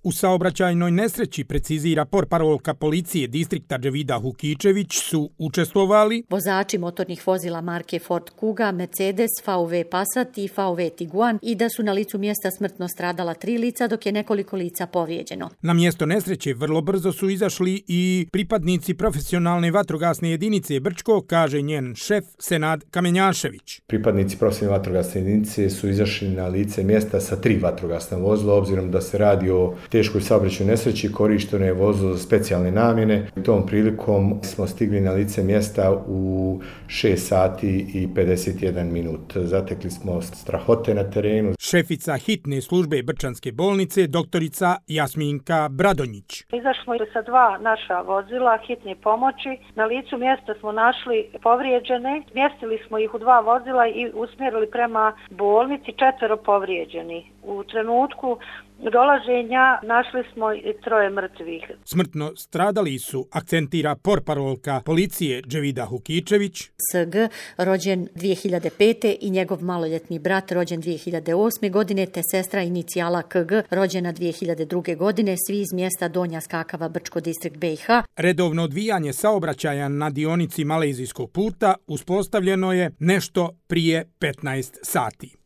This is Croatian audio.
U saobraćajnoj nesreći, precizira portparolka policije distrikta Dževida Hukičević, su učestvovali vozači motornih vozila marke Ford Kuga, Mercedes, VW Passat i VW Tiguan i da su na licu mjesta smrtno stradala 3 lica, dok je nekoliko lica povrijeđeno. Na mjesto nesreće vrlo brzo su izašli i pripadnici profesionalne vatrogasne jedinice Brčko, kaže njen šef Senad Kamenjašević. Pripadnici profesionalne vatrogasne jedinice su izašli na lice mjesta sa 3 vatrogasna vozila, obzirom da se radi o teškoj saobraćajnoj nesreći, korišteno je vozilo za specijalne namjene. Tom prilikom smo stigli na lice mjesta u 6 sati i 51 minut. Zatekli smo strahote na terenu. Šefica hitne službe Brčanske bolnice, doktorica Jasminka Bradonjić. Izašli smo sa 2 naša vozila hitne pomoći. Na licu mjesta smo našli povrijeđene. Smjestili smo ih u 2 vozila i usmjerili prema bolnici, 4 povrijeđeni. U trenutku dolaženja našli smo i 3 mrtvih. Smrtno stradali su, akcentira portparolka policije Dževida Hukičević. SG, rođen 2005. i njegov maloljetni brat, rođen 2008. godine, te sestra inicijala KG, rođena 2002. godine, svi iz mjesta Donja Skakava, Brčko, distrikt BiH. Redovno odvijanje saobraćaja na dionici Malezijskog puta uspostavljeno je nešto prije 15 sati.